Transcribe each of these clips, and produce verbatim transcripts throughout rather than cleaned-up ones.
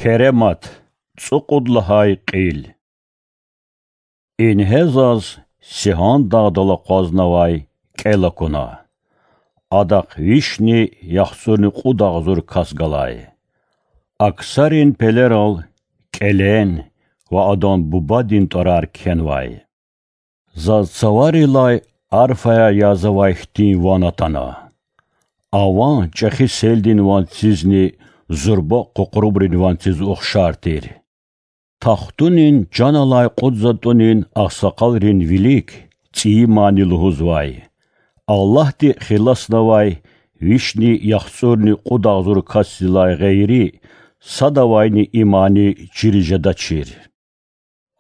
Керемат, цӀукьуд лагьай кьил. Ингье заз Сигьан дагъдал акъвазнавай кӀел акуна. Адахъ вишни яхцӀурни кьуд агъзур кас галай. Аксарин пелерал кӀелен ва адан бубадин тӀварар кхьенвай. Заз цаварилай арфаяр язавай хьтин ван атана. А ван чӀехи селдин ванцизни зурба къукърубрин ванциз ухшар тир. Тахтунин чан алай кьуд затӀунин агъсакъалрин вилик цӀийи мани лугьузвай: Аллагьди хиласнавай вишни яхцӀурни кьуд агъзур касдилай гъейри садавайни и мани чириз жедачир.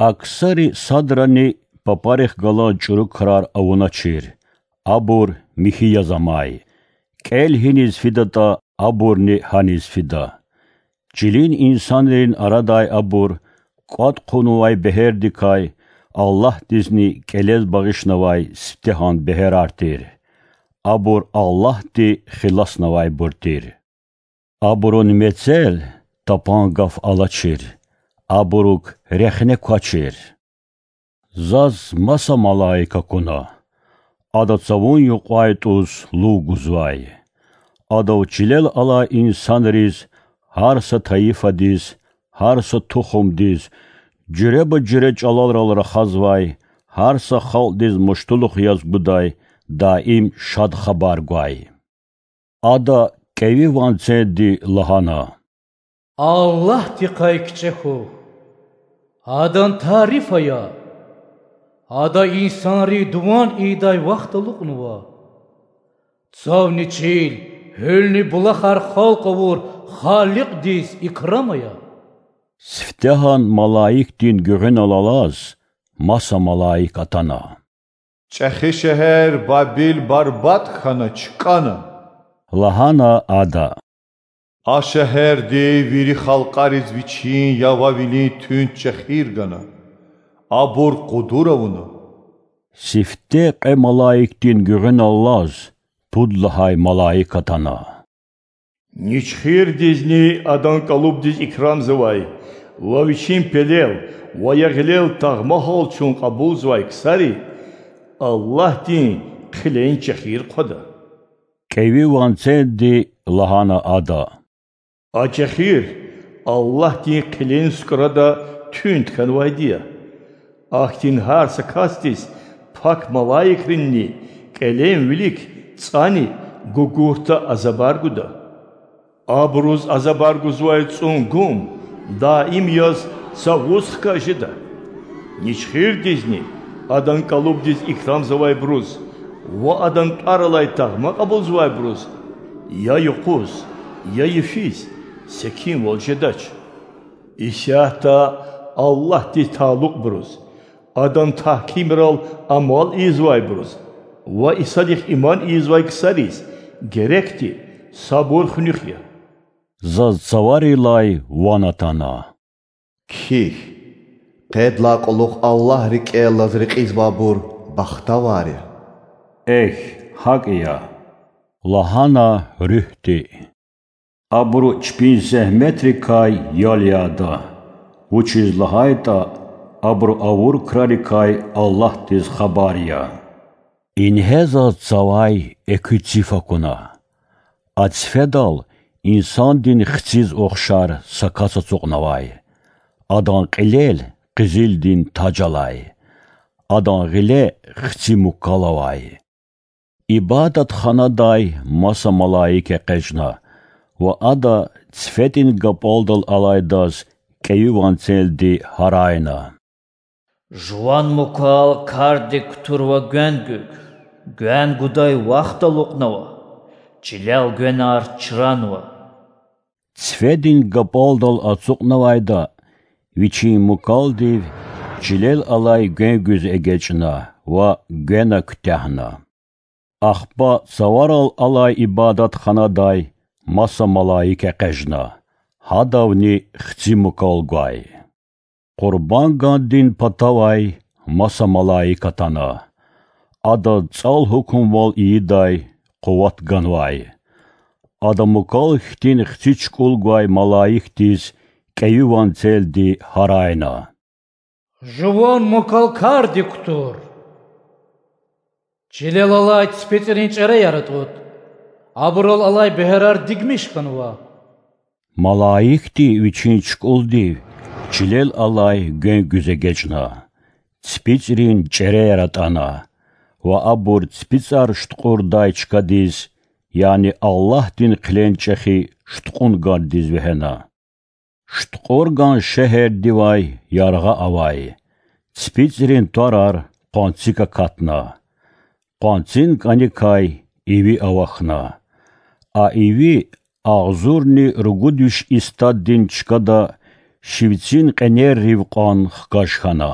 Аксари садрани папарихъ галаз чӀуру крар авуначир, абур михьи яз амай. КӀел гьиниз фидатӀа, абурни гьаниз фида. Чилин инсанрин арадай абур кӀватӀ хъувунвай бегьердикай Аллагьдизни кӀелез багъишнавай сифтегьан бегьерар тир. Абур Аллагьди хиласнавайбур тир. Абурун мецел тапан гаф алачир, абурук рехне квачир. Заз маса малаик акуна. Ада цавун юкьвайтӀуз лув гузвай. Адав чилел алай инсанриз, гьар са тайифадиз, гьар са тухумдиз, жуьреба-жуьре чӀаларал рахазвай, гьар са халкьдиз муштулух яз гудай, даим шад хабар гвай. Ада кӀеви ванцелди лагьана: Аллагьдихъай кичӀе хьухь, Адан тариф ая. Ада инсанрин дуван ийидай вахт алукьнава. Цавни чил, гьуьлни булахар халкь авур Халикьдиз икрам ая. Сифтегьан малаикдин гуьгъуьнал алаз маса малаик атана. ЧӀехи шегьер Бабил барбатӀ хьана, чкӀана,— лагьана ада. А шегьерди вири халкьариз вичин явавилин туьнт чӀехир гана, абур кьудур авуна. Сифте кьве малаикдин гуьгъуьналлаз пуд лагьай малаик атана. Ничхирдизни адан кӀалубдиз икрамзавай ва вичин пелел ва я гъилел тагъма гьал чун кьабулзавай ксари Аллагьдин хъилен чӀехир хъвада. КӀеви ванцелди лагьана ада: А чӀехир Аллагьдин хъилен сукӀрада туьнт хьанвайди я. Ахьтин гьар са касдиз пак малаикринни кӀелен вилик цӀани гугурта азабар гуда. Абуруз азабар гузвай цӀун гум даим яз цавуз хкаж жеда. Ничхирдизни адан кӀалубдиз икрамзавайбуруз ва адан тӀвар алай тагъма кьабулзавайбуруз я юкъуз, я йифиз секинвал жедач. Исятда Аллагьдиз талукьбуруз, Адан тагькимрал амал ийизвайбуруз ва Исадихъ иман ийизвай ксариз герекди сабур хуьнуьх я. Заз цаварилай ван атана. Кхьихь, къедлагьай кьулухъ Аллагь рикӀелаз рекьизвайбур бахтавар я. Эхь, гьакӀ я,— лагьана Руьгьди. Абуру чпин зегьметрикай ял яда, вучиз лагьайтӀа абуру авур крарикай Аллагьдиз хабар я. Ингье заз цавай экуь циф акуна. А цифедал инсандин хциз ухшар са кас ацукьнавай. Адан кьилел къизилдин таж алай. Адан гъиле хци мукал авай. Ибадатханадай маса малаик экъечӀна ва ада цифедин гапӀалдал алайдаз кӀеви ванцелди гьарайна: Жуван мукал кардик кутурва гвен гуьгъ, гвен гудай вахт алукьнава, чилел гвенар чранва. Цифедин гапӀалдал ацукьнавайда вичин мукалдив чилел алай гвен гуьз эгечӀна ва гвена куьтягьна. Ахпа цаварал алай ибадатханадай маса малаик экъечӀна, гьадавни хци мукал гвай. Къурбан гандин патавай маса малаик атана. Адаз цӀал гьукумвал ийидай къуват ганвай. Ада мукал хьтин хци чукӀул гвай малаикдиз кьейи ванцелди гьарайна: Жуван мукалкарди кутур! Чилел алай ципицӀрин чӀереяр атӀуд, абурал алай бегьерар дигмиш хьанва. Малаикди вичин чукӀулдив чилел алай гвен гуьз эгечӀна, ципицӀрин чӀереяр атӀана ва абур ципицӀар шуткьурдай чкадиз, яни Аллагьдин хъилен чӀехи шуткьун ганадиз вегьена. ШуткьургӀан шегьердивай яргъа авай ципицӀрин тварар къванцик акатна, къванцин кӀаникай иви авахьна. А иви агъзурни ругуд виш истаддин чкада шивцин кьенеррив кьван хкаж хьана.